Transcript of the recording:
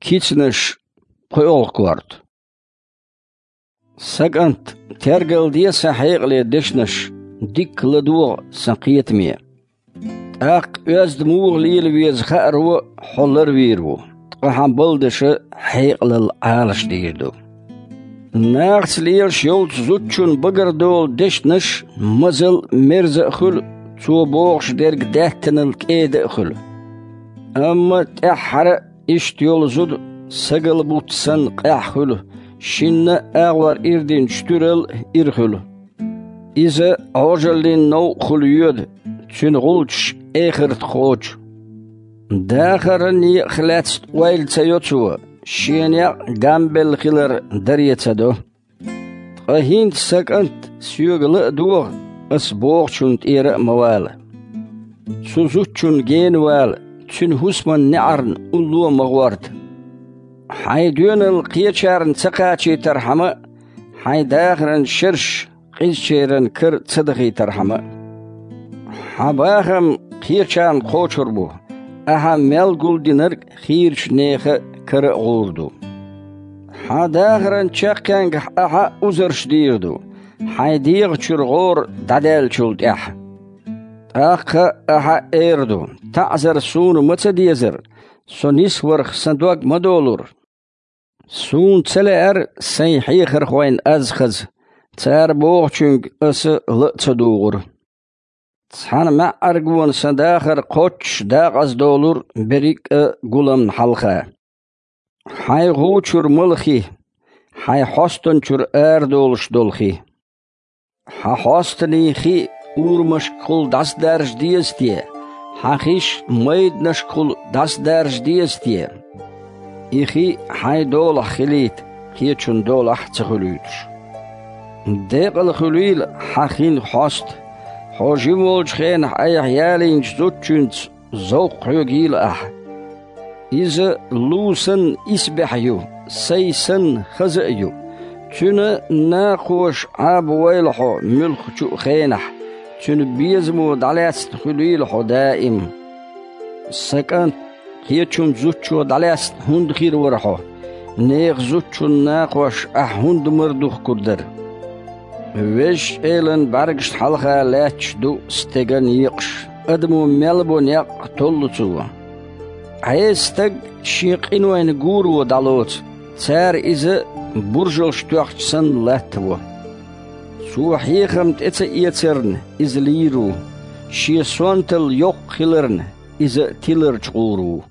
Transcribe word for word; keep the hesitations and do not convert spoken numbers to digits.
Кицанаш, пхоьалгӀа корта. Са кӀант, тергалде сан хьекъале дешнаш, дикка ладогӀа сан кхетаме. ТӀаккха оьзда муха лела веза хааро хьо ларвийр ву, ткъа хьан балдаша хьекъалал Ӏалашдийр ду. Нахаца лелаш йолчу зудчун багара долу дешнаш мазал а, мерза а хуьлу, цо бохуш дерг даьттанал кӀеда а хуьлу. Амма тӀаьххьара а иштта йолу зуда сагал буц санна къаьхьа хуьлу, шинна а агӀор ирдинчу туьрал а ира хуьлу. Иза Ӏожаллин новкъахула йоьду, цуьнан гӀулчаш эхарта кхочу. Дахаран некъах лаьцна ойла ца йо цо, шен некъ гамбелла хилар даре ца до. Ткъа хӀинца, са кӀант, соьга ла а догӀа, ас бохучунна тӀера а ма вала. Цу зудчунна гена вала, цуьнан хӀусаман неӀарна улло а ма гӀорта. Хьайн доьналла кхечарна ца кхачийтархьама а, хьайн дахаран шераш къизачеран кара ца дахийтархьама а. Хьан бахам кхечарна кхочур бу, ахьа мел гулдинарг хийрачу нехан кара а гӀур ду. Хьан дахаран чаккхенгахь ахьа узарш дийр ду, хьайн дегӀан чуьра гӀора дӀадаьллачул тӀаьхьа. ТӀаккха ахьа эр ду: «ТаӀзар суна ма ца дезара, со нисварх сан дог ма долура». Суна ца лаьара сайн хьехархойн аз хаза, цара бохучуьнга аса ла а ца дугӀура. Цхьана маьӀӀаргона сан дахар кхоччуш дакъаза долура берриг а гуламна хьалха. Хьайн гӀу чуьра мала хи, хьайн хьостан чуьра арадолуш долу хи. Хьан хьостанийн хи урамашкахула дӀасадаржа деза те? Хьан хиш майданашкахула дӀасадаржа деза те? И хи хьайн долахь хилийта, кхечун долахь ца хуьлуьйтуш. Декъала хуьлийла хьан хин хьоста, хьо жима волчу хенахь айхьа ялийначу зудчуьнца зовкх хьоьгийла ахьа. Иза лу санна исбаьхьа ю, сай санна хаза а ю. Цуьнан накхоша Ӏабавойла хьо муьлххачу а хенахь, цуьнан безамо дӀалаьцна хуьлийла хьо даим. Са кӀант, кхечун зудчо дӀалаьцна хӀунда хир вара хьо? Нехан зудчун накхош ахьа хӀунда мара духкур дара? Везачу Элан бӀаьргашна хьалха лаьтташ ду стеган екъаш, адамо мел бо некъ толлу цо. Ӏеса стаг шен къинойн гуро дӀалоцу, цара иза буржалш тоьхча санна латтаво. Цо хьехам тӀе ца эцарна, иза лийр ву, шен сонталла йоккха хиларна, иза тиларчу гӀур ву.